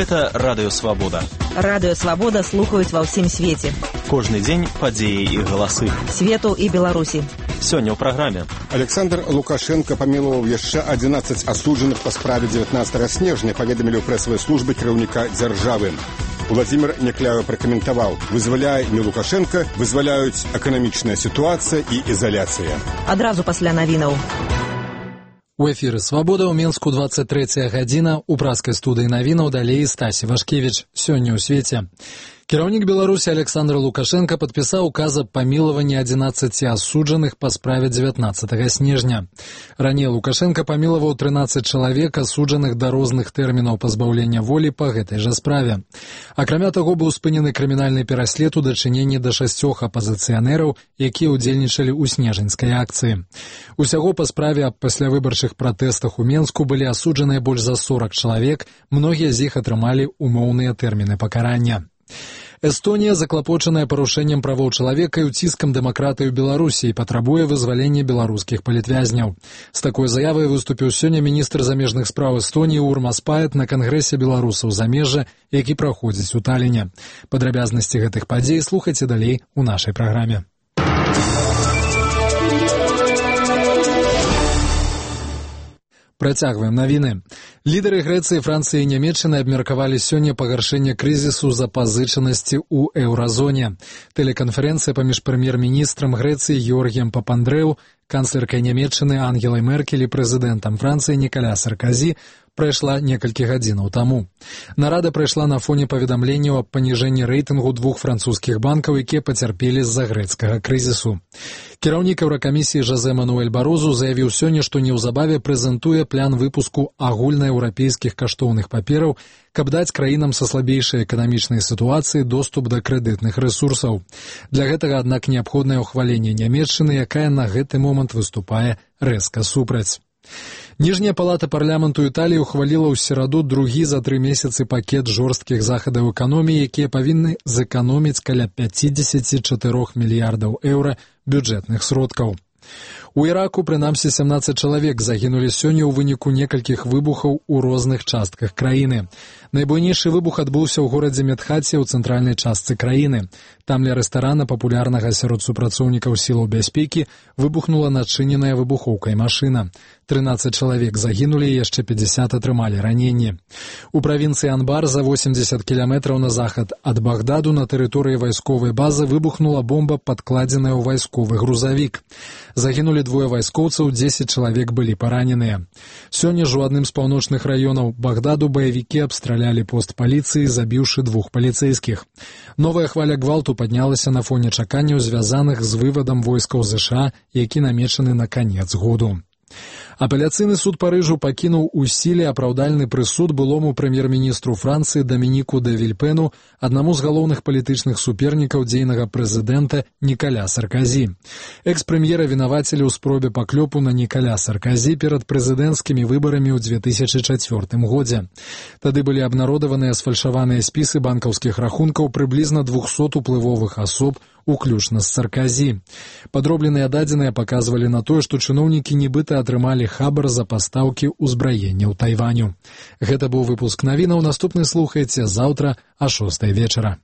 Гэта Радыё Свабода. Радыё Свабода слухаюць ва ўсім свеце. Кожны дзень падзеі і галасы. Свету і Беларусі. Сёння ў праграме. Александр Лукашенко памілаваў яшчэ 11 асуджаных па справе 19 снежня, паведамілі ў прэсавай службе кіраўніка дзяржавы. Владимир Некляеў пракаментаваў: вызваляе не Лукашенко, вызваляюць эканамічная сітуацыя і ізаляцыя. Адразу пасля навінаў. У эфіры «Свабода» ў Мінску 23 гадзіна. У праскай студыі навінаў далей Стасі Вашкевіч. Сёння ў свеце. Кіраўнік Беларусі Александр Лукашенко падпісаў указ аб памілаванні 11 асуджаных па справе 19 снежня. Раней Лукашенко памілаваў 13 чалавек, асуджаных да розных тэрмінаў пазбаўлення волі па гэтай жа справе. Акрамя таго, быў спынены крымінальны пераслед у дачыненні да 6 апазіцыянераў, якія ўдзельнічалі ў снежаньскай акцыі. Усяго па справе аб паслявыбарчых пратэстах у Менску былі асуджаныя больш за 40 чалавек, многія з іх атрымалі умоўныя тэрміны пакарання. Эстонія, заклапочаная парушэннем правоў чалавека і ўціскам дэмакратыі ў Беларусі, патрабуе вызвалення беларускіх палітвязняў. З такой заявай выступіў сёння міністр замежных спраў Эстоніі Урмас Паэт на кангрэсе беларусаў замежжа, які праходзіць у Таліне. Падрабязнасці гэтых падзей слухайце далей у нашай праграме. Працягваем навіны. Лідары Грэцыі, Францыі і Нямецчыны абмеркавалі сёння пагаршэнне крызісу запазычанасці ў еўразоне. Тэлеканферэнцыя паміж прэм'ер-міністрам Грэцыі Георгіем Папандрэу, канцлеркай Нямецчыны Ангелай Меркель і прэзідэнтам Францыі Нікаля Сарказі прайшла некалькі гадзінаў таму. Нарада прайшла на фоне паведамленняў аб паніжэнні рэйтынгу двух французскіх банкаў, якія пацярпелі з-за грэцкага крызісу. Кіраўнік Еўракамісіі Жозе Мануэль Барозу заявіў сёння, што неўзабаве прэзентуе план выпуску агульнаеўрапейскіх каштоўных папераў, каб даць краінам са слабейшай эканамічнай сітуацыі доступ да крэдытных рэсурсаў. Для гэтага, аднак, неабходнае ўхваленне Нямецчыны, якая на гэты момант выступае рэзка супраць. Ніжняя палата парламенту Італіі ухваліла ў сераду другі за 3 месяцы пакет жорсткіх захадаў эканоміі, якія павінны зэканоміць каля 54 мільярдаў еўра бюджэтных сродкаў. У Іраку, прынамсі, 17 чалавек загінулі сёння ў выніку некалькіх выбухаў у розных частках краіны. Найбуйнейшы выбух адбыўся ў горадзе Медхаце ў цэнтральнай частцы краіны. Там ля рэстарана, папулярнага сярод супрацоўнікаў сілаў бяспекі, выбухнула начыненая выбухоўкай машына. 13 чалавек загінулі і яшчэ 50 атрымалі раненні. У правінцыі Анбар, за 80 кіламетраў на захад ад Багдаду, на тэрыторыі вайсковай базы выбухнула бомба, падкладзеная ў вайсковы грузавік. Загінулі 2 вайскоўцаў, 10 чалавек былі параненыя. Сёння ж у адным з паўночных раёнаў Багдаду баевікі абстралялі пост паліцыі, забіўшы 2 паліцэйскіх. Новая хваля гвалту паднялася на фоне чаканняў, звязаных з вывадам войскаў ЗША, які намечаны на канец году. Апеляцыйны суд Парыжу пакінуў у сіле апраўдальны прысуд былому прэм'ер-міністру Францыі Дамініку де Вільпену, аднаму з галоўных палітычных супернікаў дзейнага прэзідэнта Нікаля Сарказі. Экс-прэм'ера вінавацілі ў спробе паклёпу на Нікаля Сарказі перад прэзідэнцкімі выбарамі ў 2004 годзе. Тады былі абнародаваныя сфальшаваныя спісы банкаўскіх рахункаў прыблізна 200 уплывовых асоб, уключна з Сарказі. Падробленыя дадзеныя паказвалі на тое, што чыноўнікі нібыта атрымалі хабар за пастаўкі ўзбраення ў Тайваню. Гэта быў выпуск навінаў. Наступны слухайце заўтра а 6 вечара.